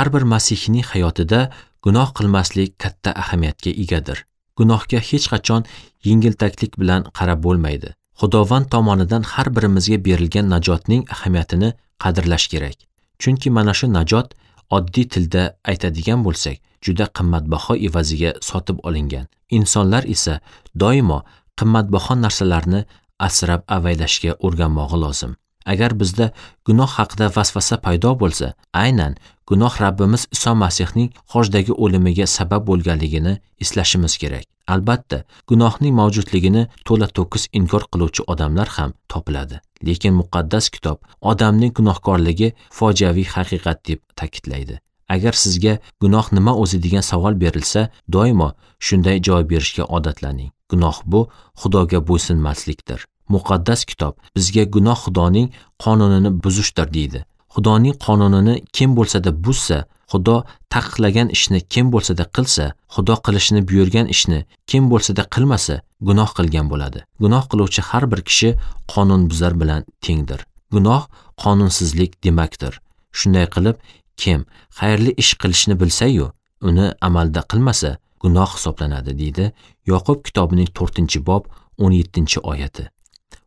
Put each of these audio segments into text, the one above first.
Har bir masihiyning hayotida gunoh qilmaslik katta ahamiyatga egadir. Gunohga hech qachon yengiltaklik bilan qarab bo'lmaydi. Xudovand tomonidan har birimizga berilgan najotning ahamiyatini qadrlash kerak. Chunki mana shu najot oddiy tilda aytadigan bo'lsak, juda qimmatbaho evaziga sotib olingan. Insonlar esa doimo qimmatbaho narsalarni asrab avaylashga o'rganmog'i lozim. Agar bizda gunoh haqida vasvasa paydo bo'lsa, aynan gunoh Rabbimiz Iso Masihning xochdagi o'limiga sabab bo'lganligini eslashimiz kerak. Albatta, gunohning mavjudligini to'la-to'kis inkor qiluvchi odamlar ham topiladi. Lekin muqaddas kitob odamning gunohkorligi fojiaviy haqiqat deb ta'kidlaydi. Agar sizga gunoh nima o'zi degan savol berilsa, doimo shunday javob berishga odatlaning. Gunoh bu Xudoga bo'ysunmaslikdir. Muqaddas kitob bizga gunoh Xudoning qonunini buzishdir deydi. Xudoning qonunini kim bo'lsa-da buzsa, Xudo taqiqlagan ishni kim bo'lsa-da qilsa, Xudo qilishni buyurgan ishni kim bo'lsa-da qilmasa, gunoh qilgan bo'ladi. Gunoh qiluvchi har bir kishi qonunbuzar bilan tengdir. Gunoh qonunsizlik demakdir. Shunday qilib, kim xayrli ish qilishni bilsa-yu, uni amalda qilmasa, gunoh hisoblanadi, deydi Yoqub kitobining 4-bob 17-oyati.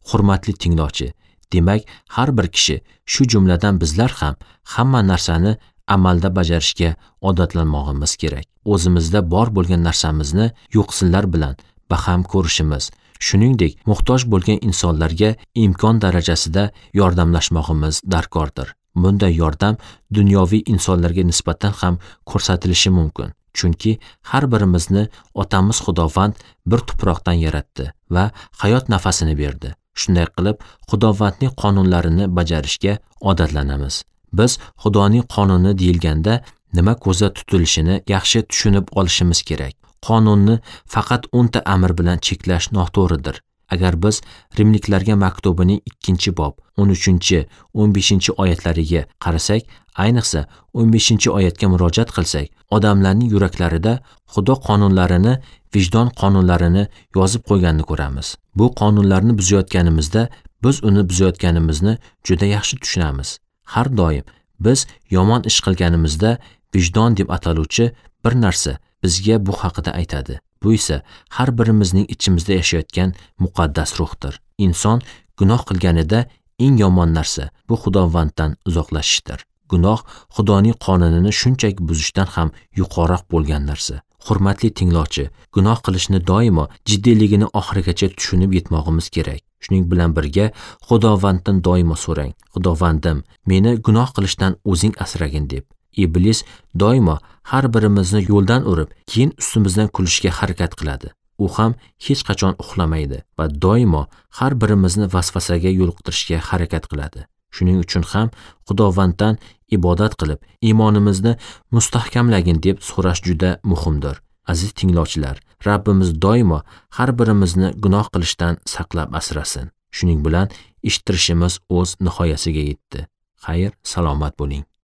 Hurmatli tinglovchi, demak, har bir kishi, shu jumladan bizlar ham hamma narsani amalda bajarishga odatlanmog'imiz kerak. O'zimizda bor bo'lgan narsamizni yo'qsillar bilan baham ko'rishimiz, shuningdek, muhtoj bo'lgan insonlarga imkon darajasida yordamlashmog'imiz darkordir. Bunday yordam dunyoviy insonlarga nisbatan ham ko'rsatilishi mumkin. Chunki har birimizni otamiz Xudovand bir tuproqdan yaratdi va hayot nafasini berdi. Shunday qilib, Xudovandning qonunlarini bajarishga odatlanamiz. Biz Xudoning qonuni deyilganda nima ko'zda tutilishini yaxshi tushunib olishimiz kerak. Qonunni faqat 10 ta amr bilan cheklash noto'g'ridir. Agar biz Rimliklarga maktubining 2-bob 13-15 oyatlariga qarasak, ayniqsa 15-oyatga murojaat qilsak, odamlarning yuraklarida Xudo qonunlarini, vijdon qonunlarini yozib qo'yganini ko'ramiz. Bu qonunlarni buzayotganimizda biz uni buzayotganimizni juda yaxshi tushunamiz. Har doim biz yomon ish qilganimizda vijdon deb ataluvchi bir narsa bizga bu haqida aytadi. Bu esa har birimizning ichimizda yashayotgan muqaddas ruhdir. Inson gunoh qilganida eng yomon narsa bu Xudovanddan uzoqlashishdir. Gunoh Xudoning qonunini shunchaki buzishdan ham yuqoriroq bo'lgan narsa. Hurmatli tinglovchi, gunoh qilishni doimo jiddiyligini oxirigacha tushunib yetmog'imiz kerak. Shuning bilan birga Xudovanddan doimo so'rang: Xudovandim, meni gunoh qilishdan o'zing asragin deb. Iblis doimo har birimizni yo'ldan urib, keyin ustimizdan kulishga harakat qiladi. U ham hech qachon uxlamaydi va doimo har birimizni vasvasaga yo'liqtirishga harakat qiladi. Shuning uchun ham Xudovanddan ibodat qilib, iymonimizni mustahkamlagin deb so'rash juda muhimdir. Aziz tinglovchilar, Rabbimiz doimo har birimizni gunoh qilishdan saqlab asrasin. Shuning bilan eshittirishimiz o'z nihoyasiga yetdi. Xayr, salomat bo'ling.